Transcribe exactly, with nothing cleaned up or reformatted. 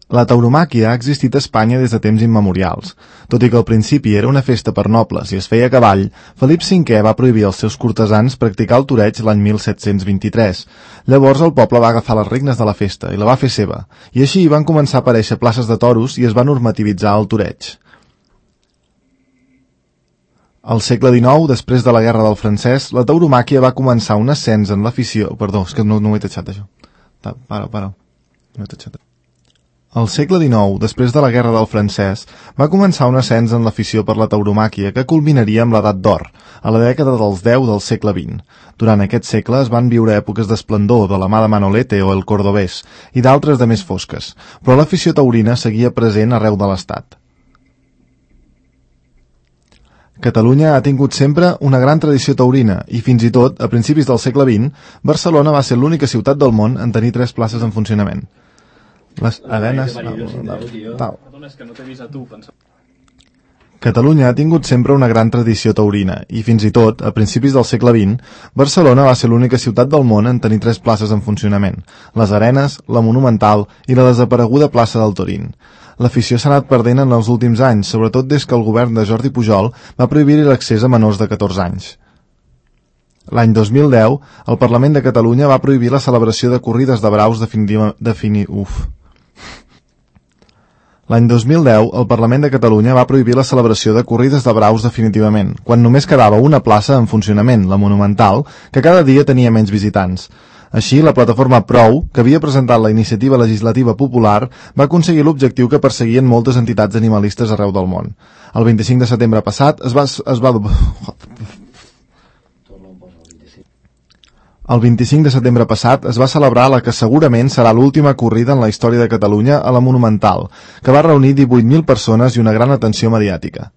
La tauromàquia ha existit a Espanya des de temps immemorials. Tot i que al principi era una festa per nobles i es feia a cavall, Felip cinquè va prohibir als seus cortesans practicar el toreig l'any mil set-cents vint-i-tres. Llavors el poble va agafar les regnes de la festa i la va fer seva, i així van començar a aparèixer places de toros i es va normativitzar el toreig. Al segle dinou, després de la Guerra del Francès, la tauromàquia va començar un ascens en l'afició... Perdó, és que no, no ho he tatxat, això. Para, para. No he tatxat. Al segle dinou, després de la Guerra del Francès, va començar un ascens en l'afició per la tauromàquia que culminaria amb l'edat d'or, a la dècada dels deu del segle vint. Durant aquest segle es van viure èpoques d'esplendor de la mà de Manolete o el Cordobès i d'altres de més fosques, però l'afició taurina seguia present arreu de l'estat. Catalunya ha tingut sempre una gran tradició taurina i, fins i tot, a principis del segle vint, Barcelona va ser l'única ciutat del món en tenir tres places en funcionament. Les arenes... Catalunya ha tingut sempre una gran tradició taurina i, fins i tot, a principis del segle vint, Barcelona va ser l'única ciutat del món en tenir tres places en funcionament: les Arenes, la Monumental i la desapareguda plaça del Torín. L'afició s'ha anat perdent en els últims anys, sobretot des que el govern de Jordi Pujol va prohibir l'accés a menors de catorze anys. L'any dos mil deu, el Parlament de Catalunya va prohibir la celebració de corrides de braus definitiva... Defini... Uf... L'any dos mil deu, el Parlament de Catalunya va prohibir la celebració de corrides de braus definitivament, quan només quedava una plaça en funcionament, la Monumental, que cada dia tenia menys visitants. Així, la plataforma Prou, que havia presentat la iniciativa legislativa popular, va aconseguir l'objectiu que perseguien moltes entitats animalistes arreu del món. El vint-i-cinc de setembre passat es va... Es va... El vint-i-cinc de setembre passat es va celebrar la que segurament serà l'última corrida en la història de Catalunya a la Monumental, que va reunir divuit mil persones i una gran atenció mediàtica.